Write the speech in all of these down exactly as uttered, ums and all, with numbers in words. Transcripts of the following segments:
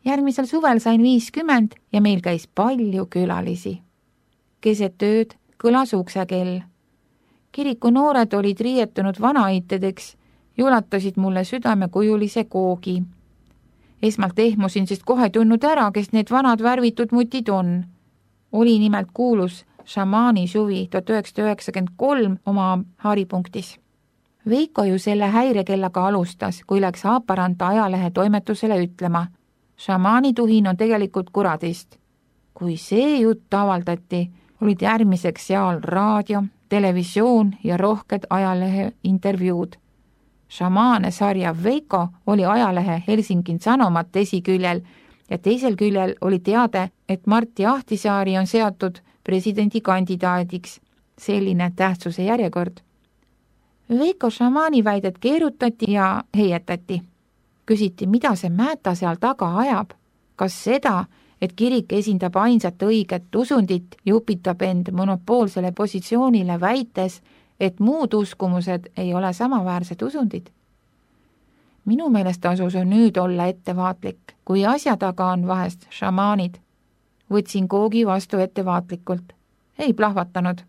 Järgmisel suvel sain viiskümmend ja meil käis palju külalisi. Keset ööd kõlas uksekell. Kiriku noored olid riietunud vanaaitedeks ja ulatasid mulle südamekujulise koogi. Esmalt ehmusin, sest kohe tundnud ära, kes need vanad värvitud mutid on. Oli nimelt kuulus šamaani suvi tuhat üheksasada üheksakümmend kolm oma haaripunktis. Veiko ju selle häirekellaga alustas, kui läks Haaparanta ajalehe toimetusele ütlema. Šamaani tuhin on tegelikult kuradist. Kui see jutt avaldati, olid järgmiseks seal raadio, televisioon ja rohked ajalehe intervjuud. Šamaane sarja Veiko oli ajalehe Helsingin Sanomat esiküljel ja teisel küljel oli teade, et Martti Ahtisaari on seatud presidendikandidaadiks. Selline tähtsuse järjekord. Veiko šamaani väidet keerutati ja heietati. Küsiti, mida see Määta seal taga ajab. Kas seda, et kirik esindab ainsat õiget usundit ja upitab end monopoolsele positsioonile väites, et muud uskumused ei ole samaväärsed usundid? Minu meelest tasus on nüüd olla ettevaatlik, kui asja taga on vahest šamaanid. Võtsin koogi vastu ettevaatlikult. Ei plahvatanud.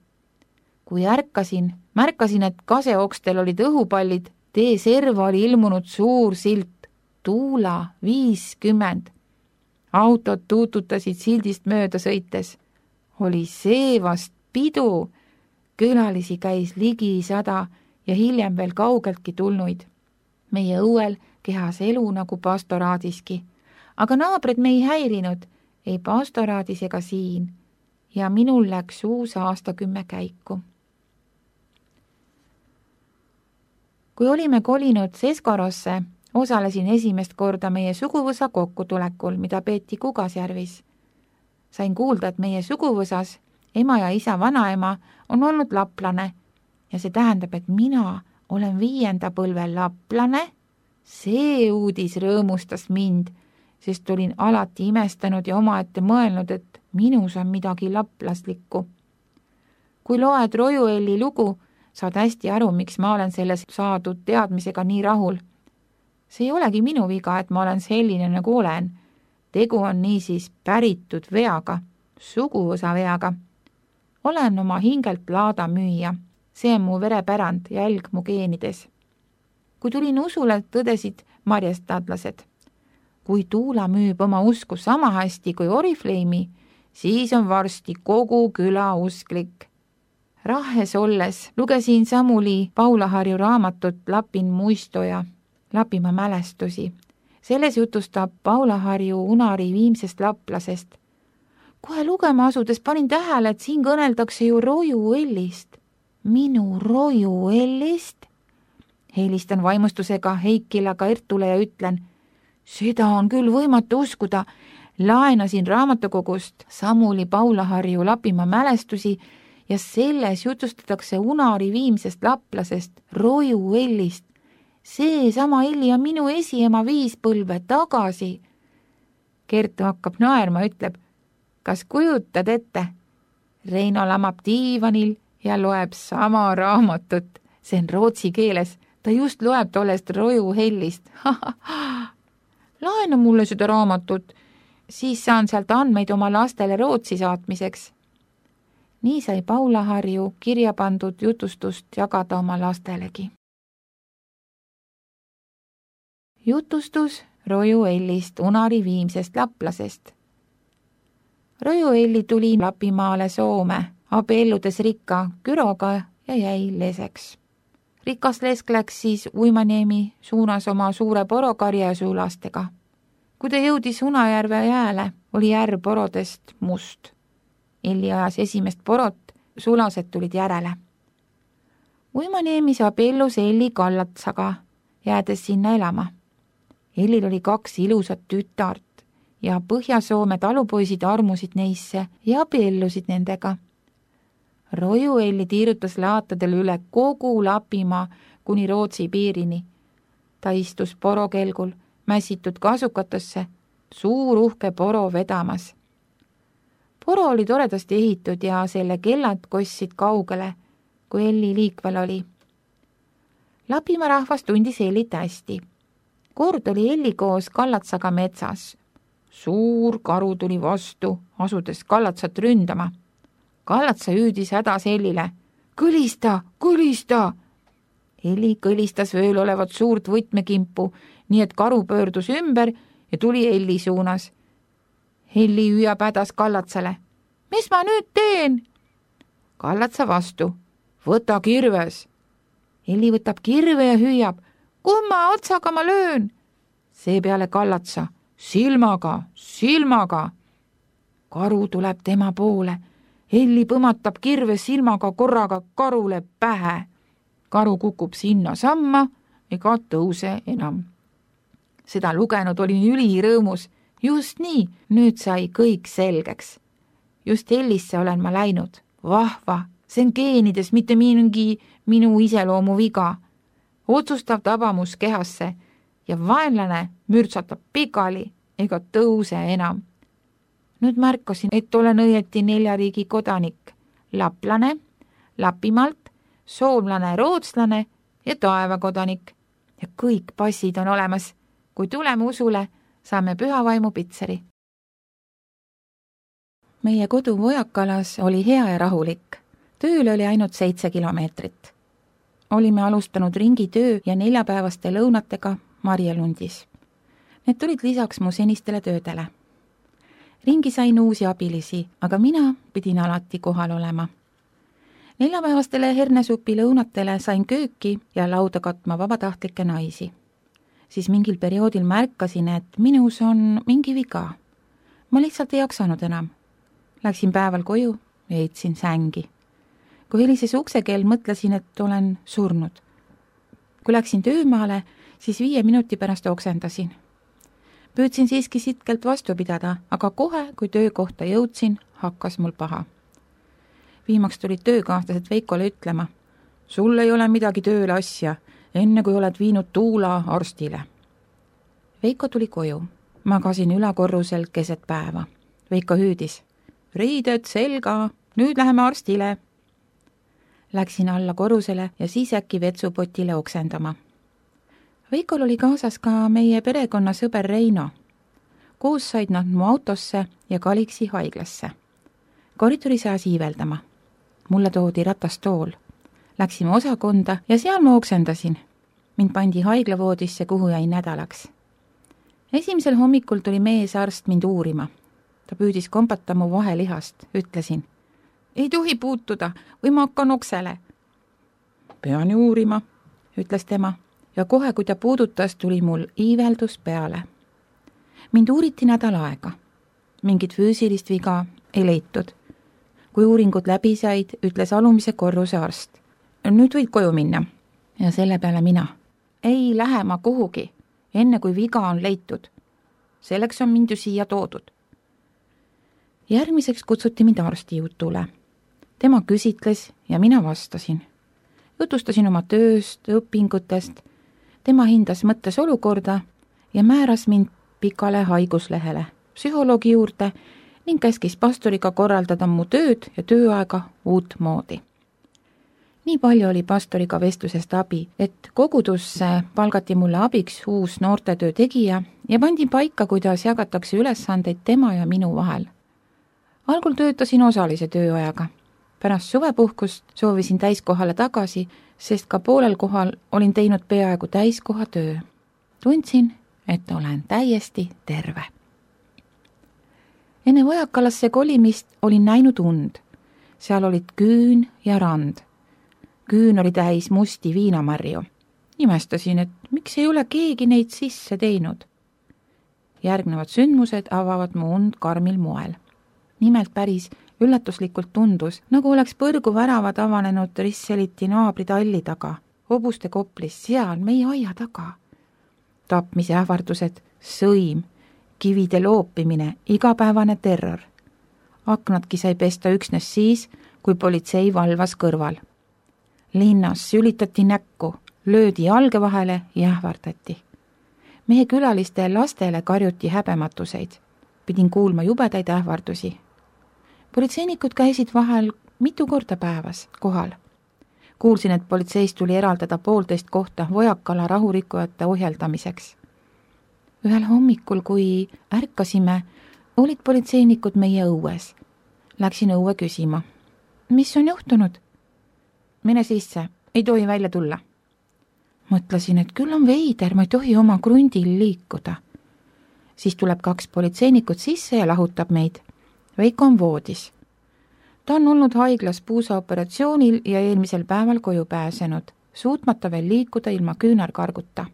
Kui ärkasin, märkasin, et kaseokstel olid õhupallid, tee serva oli ilmunud suur silt. Tuula viiskümmend. Autod tuututasid sildist mööda sõites. Oli see vast pidu. Külalisi käis ligi sada ja hiljem veel kaugeltki tulnuid. Meie õuel kehas elu nagu pastoraadiski. Aga naabrid me ei häirinud, ei pastoraadis ega siin. Ja minul läks uus aastakümme käiku. Kui olime kolinud Seskarosse, osalesin esimest korda meie suguvõsa kokkutulekul, mida peeti Kugasjärvis. Sain kuulda, et meie suguvõsas ema ja isa vanaema on olnud laplane ja see tähendab, et mina olen viienda põlve laplane. See uudis rõõmustas mind, sest olin alati imestanud ja omaette mõelnud, et minus on midagi laplaslikku. Kui loed Rojuelli lugu, saad hästi aru, miks ma olen selles saadud teadmisega nii rahul. See ei olegi minu viga, et ma olen selline nagu olen. Tegu on niisiis päritud veaga, suguvõsa veaga. Olen oma hingelt laada müüja. See on mu verepärand, jälg mu geenides. Kui tulin usule, tõdesid marjestadlased. Kui Tuula müüb oma usku sama hästi kui Orifleimi, siis on varsti kogu küla usklik. Rahes olles lugesin Samuli Paulaharju raamatut Lapin muistoja, Lapimaa mälestusi. Selles jutustab Paulaharju Unari viimsest laplasest. Kohe lugema asudes panin tähele, et siin kõneldakse ju Rojuellist. Minu Rojuellist? Helistan vaimustusega Heikile ka Ertule ja ütlen, seda on küll võimatu uskuda. Laenasin raamatukogust Samuli Paulaharju Lapimaa mälestusi ja selles jutustatakse Unari viimsest laplasest, Rojuellist. See sama Elli on minu esiema viis põlve tagasi. Kertu hakkab naerma, ütleb, kas kujutad ette? Reino lamab diivanil ja loeb sama raamatut. See on rootsi keeles. Ta just loeb tollest Rojuellist. Laena mulle seda raamatut, siis saan sealt andmeid oma lastele Rootsi saatmiseks. Nii sai Paulaharju kirja pandud jutustust jagada oma lastelegi. Jutustus Rojuellist, Unari viimsest laplasest. Rojuelli tuli Lapimaale Soome, abielludes rikka Küroga ja jäi leseks. Rikas lesk läks siis Uimaniemi suunas oma suure porokarja sulastega. Kui ta jõudis Unajärve jääle, oli järv porodest must. Elli ajas esimest porot, sulased tulid järele. Uimaniemis abiellus Elli Kallatsaga, jäädes sinna elama. Ellil oli kaks ilusat tütart ja Põhja-Soome talupoisid armusid neisse ja abiellusid nendega. Rojuelli tiirutas laatadel üle kogu Lapimaa kuni Rootsi piirini. Ta istus porokelgul, mässitud kasukatesse, suur uhke poro vedamas. Poro oli toredasti ehitud ja selle kellad kossid kaugele, kui Elli liikvel oli. Lapimaa rahvas tundis Ellit hästi. Kord oli Elli koos Kallatsaga metsas. suur karu tuli vastu, asudes Kallatsat ründama. Kallatsa hüüdis hädas Hellile: kõlista, kõlista! Helli kõlistas vööl olevat suurt võtmekimpu, nii et karu pöördus ümber ja tuli Helli suunas. Helli hüüab hädas Kallatsale: mis ma nüüd teen? Kallatsa vastu: võta kirves. Helli võtab kirve ja hüüab: kumma otsaga ma löön? Seepeale Kallatsa: silmaga, silmaga. Karu tuleb tema poole. Helli põmatab kirve silmaga korraga karule pähe. Karu kukub sinna samma ega tõuse enam. Seda lugenud olin ülirõõmus. Just nii, nüüd sai kõik selgeks. Just Hellisse olen ma läinud. Vahva, see on geenides, mitte mingi minu iseloomu viga. Otsustav tabamus kehasse ja vaenlane mürtsatab pikali ega tõuse enam. Nüüd märkasin, et olen õieti nelja riigi kodanik. Laplane, Lapimaalt, soomlane, rootslane ja taevakodanik. Ja kõik passid on olemas. Kui tuleme usule, saame pühavaimu pitseri. Meie kodu Vojakalas oli hea ja rahulik. Tööl oli ainult seitse kilomeetrit. Olime alustanud ringitöö ja neljapäevaste lõunatega Marjelundis. Need tulid lisaks mu senistele töödele. Ringi sain uusi abilisi, aga mina pidin alati kohal olema. Neljapäevastele hernesupi lõunatele sain kööki ja lauda katma vabatahtlikke naisi. Siis mingil perioodil märkasin, et minus on mingi viga. Ma lihtsalt ei jaksanud enam. Läksin päeval koju ja heitsin sängi. Kui helises uksekell, mõtlesin, et olen surnud. Kui läksin töömaale, siis viie minuti pärast oksendasin. Püüdsin siiski sitkelt vastu pidada, aga kohe, kui töökohta jõudsin, hakkas mul paha. Viimaks tulid töökahtlased Veikole ütlema: sul ei ole midagi tööle asja, enne kui oled viinud Tuula arstile. Veiko tuli koju. Magasin ülakorrusel keset päeva. Veiko hüüdis: riided selga, nüüd läheme arstile. Läksin alla korrusele ja siis äkki vetsupotile oksendama. Veikol oli kaasas ka meie perekonna sõber Reino. Koos said nad mu autosse ja Kaliksi haiglasse. Koridori saas iiveldama. Mulle toodi ratastool. Läksime osakonda ja seal ma oksendasin. Mind pandi haiglavoodisse, kuhu jäi nädalaks. Esimesel hommikul tuli meesarst mind uurima. Ta püüdis kompata mu vahelihast. Ütlesin: ei tohi puutuda või ma hakkan oksele. Pean ju uurima, ütles tema. Ja kohe, kui ta puudutas, tuli mul iiveldus peale. Mind uuriti nädal aega. Mingit füüsilist viga ei leitud. Kui uuringud läbi said, ütles alumise korruse arst: nüüd võid koju minna. Ja selle peale mina: ei lähe ma kuhugi, enne kui viga on leitud. Selleks on mind ju siia toodud. Järgmiseks kutsuti mind arsti jutule. Tema küsitles ja mina vastasin. Jutustasin oma tööst, õpingutest. Tema hindas mõttes olukorda ja määras mind pikale haiguslehele psühholoogi juurde ning käskis pastoriga korraldada mu tööd ja tööaega uut moodi. Nii palju oli pastoriga vestlusest abi, et kogudusse palgati mulle abiks uus noortetöö tegija ja pandi paika, kuidas jagatakse ülesandeid tema ja minu vahel. Algul töötasin osalise tööajaga. Pärast suvepuhkust soovisin täiskohale tagasi, sest ka poolel kohal olin teinud peaaegu täiskoha töö. Tundsin, et olen täiesti terve. Enne Vojakalasse kolimist olin näinud und. Seal olid küün ja rand. Küün oli täis musti viinamarju. Imestasin, et miks ei ole keegi neid sisse teinud. Järgnevad sündmused avavad mu und karmil moel. Nimelt päris üllatuslikult tundus, nagu oleks põrgu väravad avanenud Risseliti naabri talli taga, hobuste koplis, seal meie aia taga. Tapmise ähvardused, sõim, kivide loopimine, igapäevane terror. Aknadki sai pesta üksnes siis, kui politsei valvas kõrval. Linnas sülitati näkku, löödi jalge vahele ja ähvardati. Meie külaliste lastele karjuti häbematuseid. Pidin kuulma jubedaid ähvardusi. Politseinikud käisid vahel mitu korda päevas kohal. Kuulsin, et politseist tuli eraldada poolteist kohta Vojakala rahurikkujate ohjeldamiseks. ühel hommikul, kui ärkasime, olid politseinikud meie õues. Läksin õue küsima. Mis on juhtunud? Mine sisse, ei tohi välja tulla. Mõtlesin, et küll on veider, ma ei tohi oma krundil liikuda. Siis tuleb kaks politseinikut sisse ja lahutab meid. Veiko on voodis. Ta on olnud haiglas puusaoperatsioonil ja eelmisel päeval koju pääsenud, suutmata veel liikuda ilma küünarkarguta.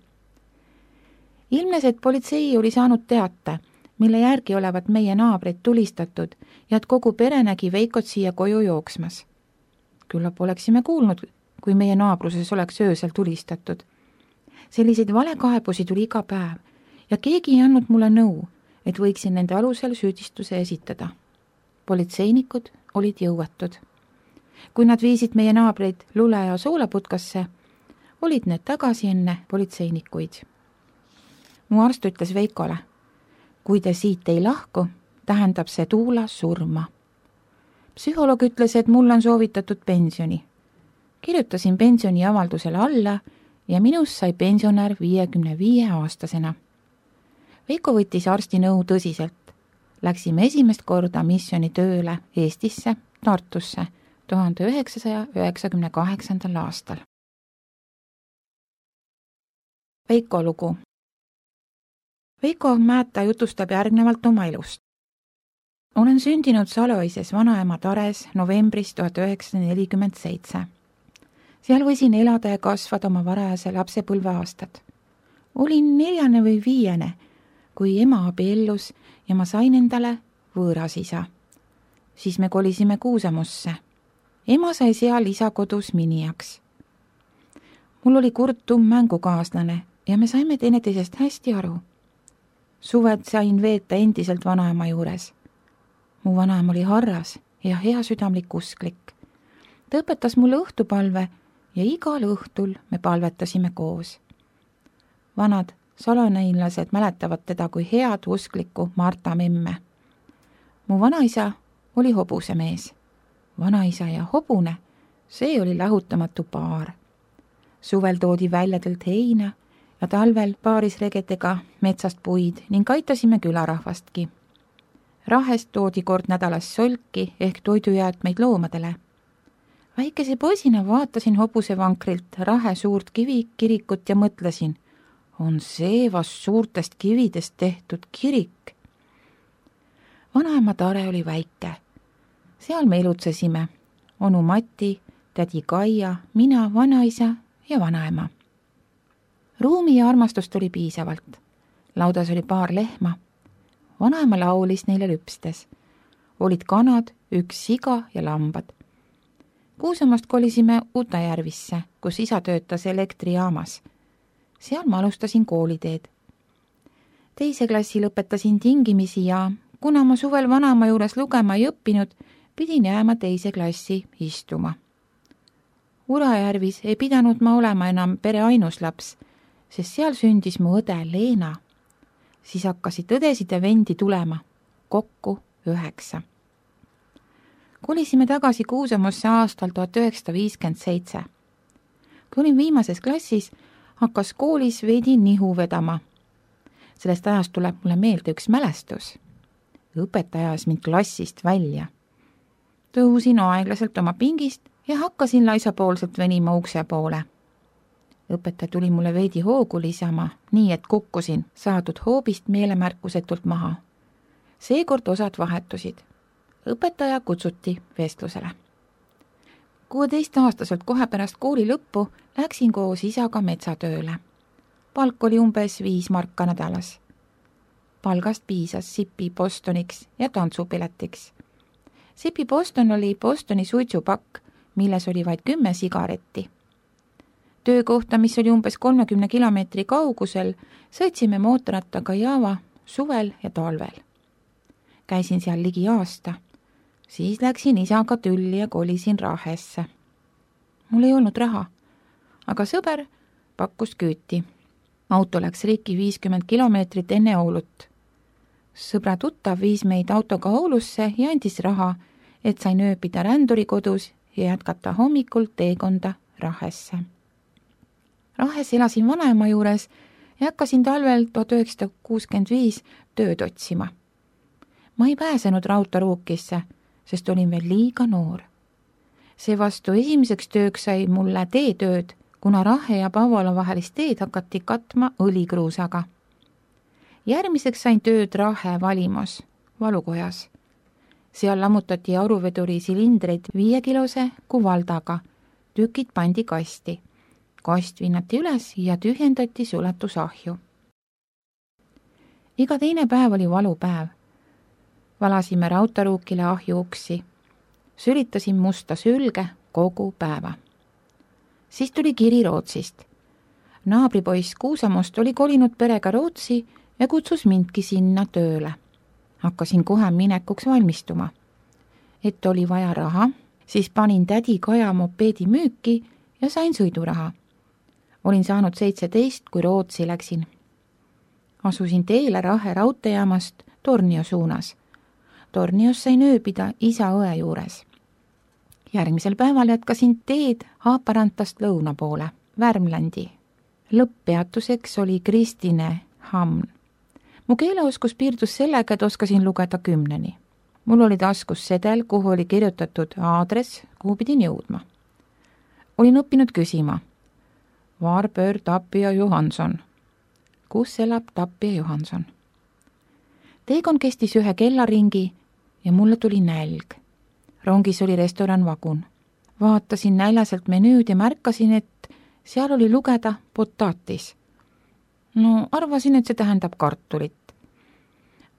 Ilmnes, et politsei oli saanud teate, mille järgi olevat meie naabrid tulistatud ja et kogu pere nägi Veikot siia koju jooksmas. Küllap oleksime kuulnud, kui meie naabruses oleks öösel tulistatud. Selliseid valekaebusi tuli iga päev ja keegi ei andnud mulle nõu, et võiksin nende alusel süüdistuse esitada. Politseinikud olid jõuetud. Kui nad viisid meie naabreid lule- ja soolaputkasse, olid need tagasi enne politseinikuid. Mu arst ütles Veikole, kui te siit ei lahku, tähendab see Tuula surma. Psühholoog ütles, et mul on soovitatud pensioni. Kirjutasin pensioni avaldusele alla ja minust sai pensionär viiekümne viie aastasena. Veiko võttis arsti nõu tõsiselt. Läksime esimest korda missiooni tööle Eestisse, Tartusse, tuhande üheksasaja üheksakümne kaheksandal aastal. Veiko lugu. Veiko Määta jutustab järgnevalt oma elust. Olen sündinud Saloises vanaema Tares novembris tuhat üheksasada nelikümmend seitse. Seal võisin elada ja kasvada oma varajase lapsepõlve aastad. Olin neljane või viiene, kui ema abiellus ja ma sain endale võõras isa. Siis me kolisime Kuusamosse. Ema sai seal isa kodus minijaks. Mul oli kurt tumm mängukaaslane ja me saime teineteisest hästi aru. Suved sain veeta endiselt vanaema juures. Mu vanaema oli harras ja hea südamlik usklik. Ta õpetas mulle õhtupalve ja igal õhtul me palvetasime koos. Vanad saloneinlased mäletavad teda kui head usklikku Marta memme. Mu vanaisa oli hobusemees. Vanaisa ja hobune, see oli lahutamatu paar. Suvel toodi väljadelt heina ja talvel paarisregedega metsast puid ning aitasime külarahvastki. Rahest toodi kord nädalas solki ehk toidujäätmeid loomadele. Väikese poisina vaatasin hobusevankrilt rahe suurt kivi kirikut ja mõtlesin, on see vast suurtest kividest tehtud kirik. Vanaema Tare oli väike. Seal me elutsesime. Onu Mati, tädi Kaia, mina, vanaisa ja vanaema. Ruumi ja armastust oli piisavalt. Laudas oli paar lehma. Vanaema laulis neile lüpstes. Olid kanad, üks siga ja lambad. Kuusamast kolisime Utajärvisse, kus isa töötas elektrijaamas. Seal ma alustasin kooliteed. Teise klassi lõpetasin tingimisi ja kuna ma suvel vanaema juures lugema ei õppinud, pidin jääma teise klassi istuma. Urajärvis ei pidanud ma olema enam pere ainus laps, sest seal sündis mu õde Leena. Siis hakkasid õdesid ja vendi tulema, kokku üheksa. Kolisime tagasi Kuusamosse aastal tuhat üheksasada viiskümmend seitse. Kui olin viimases klassis, hakkas koolis veidi nihu vedama. Sellest ajast tuleb mulle meelde üks mälestus. Õpetaja ajas mind klassist välja. Tõusin aeglaselt oma pingist ja hakkasin laisapoolselt venima ukse poole. Õpetaja tuli mulle veidi hoogu lisama, nii et kukkusin saadud hoobist meelemärkusetult maha. Seekord osad vahetusid. Õpetaja kutsuti vestlusele. kuueteistaastaselt kohe pärast kooli lõppu läksin koos isaga metsatööle. Palk oli umbes viis marka nädalas. Palgast piisas Sipi Bostoniks ja tantsupiletiks. Sipi Boston oli Bostoni suitsupakk, milles oli vaid kümme sigaretti. Töökohta, mis oli umbes kolmekümne kilomeetri kaugusel, sõitsime mootorrattaga Java suvel ja talvel. Käisin seal ligi aasta. Siis läksin isaga tülli ja kolisin Rahesse. Mul ei olnud raha, aga sõber pakkus küüti. Auto läks riiki viiskümmend kilomeetrit enne Oulut. Sõbra tuttav viis meid autoga Oulusse ja andis raha, et sain ööbida ränduri kodus ja jätkata hommikul teekonda Rahesse. Rahes elasin vanaema juures ja hakkasin talvel tuhat üheksasada kuuskümmend viis tööd otsima. Ma ei pääsenud raudteeruukisse, sest olin veel liiga noor. Seevastu esimeseks tööks sai mulle teetööd, kuna Rahe ja Pauvala vahelist teed hakati katma õlikruusaga. Järgmiseks sain tööd Rahe valimos, valukojas. Seal lammutati auruveduri silindreid viiekilose kuvaldaga, tükid pandi kasti. Kast vinnati üles ja tühjendati suletusahju. Iga teine päev oli valupäev. Valasime raudteeruukile ahju uksi. Sülitasin musta sülge kogu päeva. Siis tuli kiri Rootsist. Naabripoiss Kuusamost oli kolinud perega Rootsi ja kutsus mindki sinna tööle. Hakkasin kohe minekuks valmistuma. Et oli vaja raha, siis panin tädi Kaja mopeedi müüki ja sain sõiduraha. Olin saanud seitseteist, kui Rootsi läksin. Asusin teele Rahe raudteejaamast Tornio suunas. Tornios sain ööbida isa õe juures. Järgmisel päeval jätkasin teed Haaparantast lõuna poole, Värmlandi. Lõpppeatuseks oli Kristine Hamn. Mu keeleoskus piirdus sellega, et oskasin lugeda kümneni. Mul oli taskus sedel, kuhu oli kirjutatud aadress, kuhu pidin jõudma. Olin õppinud küsima. Varböör Tapio Johanson. Kus elab Tapio Johanson? Teekond kestis ühe kellaringi ja mulle tuli nälg. Rongis oli restoran Vagun. Vaatasin näljaselt menüüd ja märkasin, et seal oli lugeda potatis. No arvasin, et see tähendab kartulit.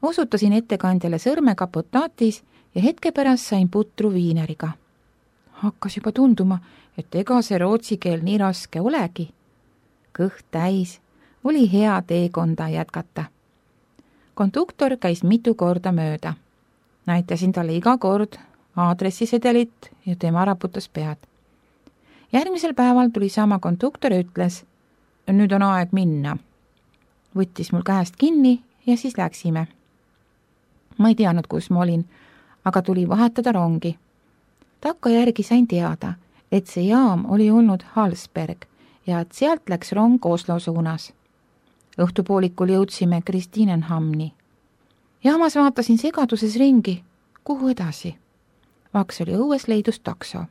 Osutasin ettekandjale sõrmega potatis ja hetke pärast sain putru viineriga. Hakkas juba tunduma, et ega see rootsi keel nii raske olegi. Kõht täis, oli hea teekonda jätkata. Konduktor käis mitu korda mööda. Näitasin talle iga kord aadressisedelit ja tema raputas pead. Järgmisel päeval tuli sama konduktor ja ütles, nüüd on aeg minna. Võttis mul käest kinni ja siis läksime. Ma ei teadnud, kus ma olin, aga tuli vahetada rongi. Takka järgi sain teada, et see jaam oli olnud Hallsberg ja et sealt läks rong Oslo suunas. Õhtupoolikul jõudsime Kristinenhamni. Jaamas vaatasin segaduses ringi, kuhu edasi. Vaks oli õues leidus takso.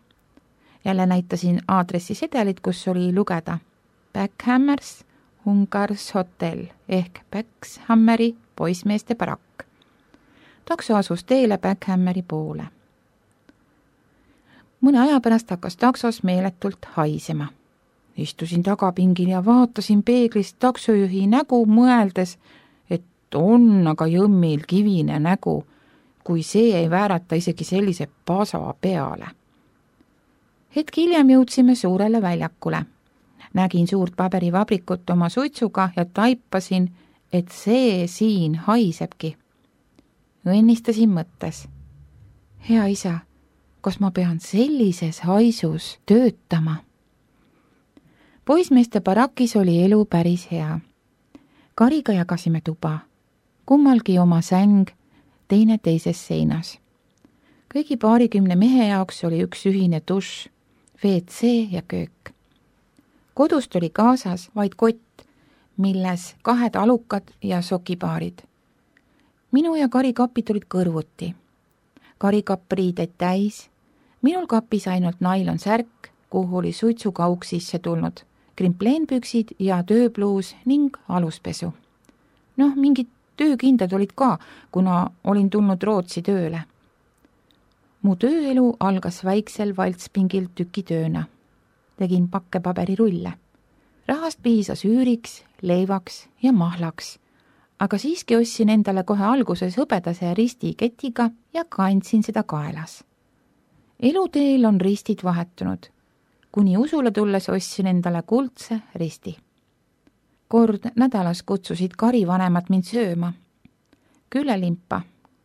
Jälle näitasin aadressisedelit, kus oli lugeda Backhammers Hungars Hotel ehk Backshammeri poismeeste barakk. Takso asus teele Backhammeri poole. Mõne aja pärast hakkas taksos meeletult haisema. Istusin tagapingil ja vaatasin peeglist taksojuhi nägu mõeldes, et on aga jõmmil kivine nägu, kui see ei väärata isegi sellise pasa peale. Hetk hiljem jõudsime suurele väljakule. Nägin suurt paberivabrikut oma suitsuga ja taipasin, et see siin haisebki. Õnnistasin mõttes. Hea isa, kas ma pean sellises haisus töötama? Poismeeste barakis oli elu päris hea. Kariga jagasime tuba. Kummalgi oma säng, teine teises seinas. Kõigi paarikümne mehe jaoks oli üks ühine dušš, V C ja köök. Kodust oli kaasas vaid kott, milles kahed alukad ja sokipaarid. Minu ja Kari kapid olid kõrvuti. Kari kapp riideid täis, minul kapis ainult nailon särk, kuhu oli suitsukauk sisse tulnud, krimpleenpüksid ja tööpluus ning aluspesu. Noh, mingid töökindad olid ka, kuna olin tulnud Rootsi tööle. Mu tööelu algas väiksel valtspingil tükitööna. Tegin pakkepaberirulle. Rahast piisas üüriks, leivaks ja mahlaks, aga siiski ostsin endale kohe alguses hõbedase risti ketiga ja kandsin seda kaelas. Eluteel on ristid vahetunud. Kuni usule tulles ostsin endale kuldse risti. Kord nädalas kutsusid Kari vanemad mind sööma. Küllelimpa,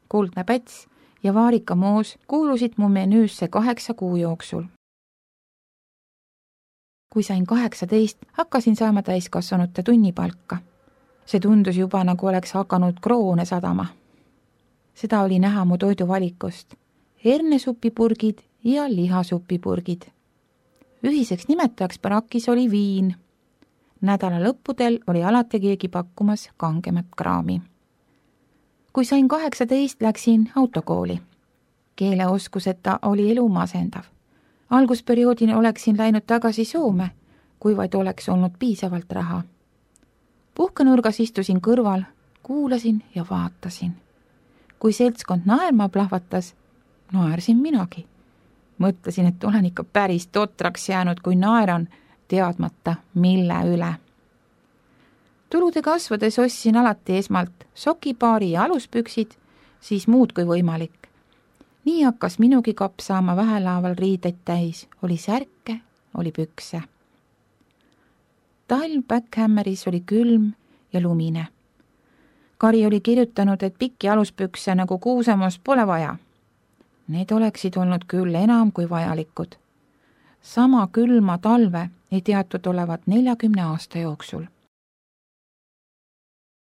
kuldne päts ja vaarikamoos kuulusid mu menüüsse kaheksa kuu jooksul. Kui sain kaheksateist, hakkasin saama täiskasvanute tunnipalka. See tundus juba, nagu oleks hakanud kroone sadama. Seda oli näha mu toiduvalikust. Hernesupipurgid ja lihasupipurgid. Ühiseks nimetajaks barakis oli viin. nädala lõppudel oli alati keegi pakkumas kangemat kraami. Kui sain kaheksateist, läksin autokooli. Keeleoskuseta oli elu masendav. Algusperioodini oleksin läinud tagasi Soome, kui vaid oleks olnud piisavalt raha. Puhkenurgas istusin kõrval, kuulasin ja vaatasin. Kui seltskond naerma plahvatas, naersin minagi. Mõtlesin, et olen ikka päris totraks jäänud, kui naeran, teadmata mille üle. Tulude kasvades ostsin alati esmalt sokipaari ja aluspüksid, siis muud kui võimalik. Nii hakkas minugi kapp saama vähelaaval riideid täis, oli särke, oli pükse. Talv Backhämmeris oli külm ja lumine. Kari oli kirjutanud, et pikki aluspükse nagu Kuusamos pole vaja. Need oleksid olnud küll enam kui vajalikud. Sama külma talve ei teatud olevat neljakümne aasta jooksul.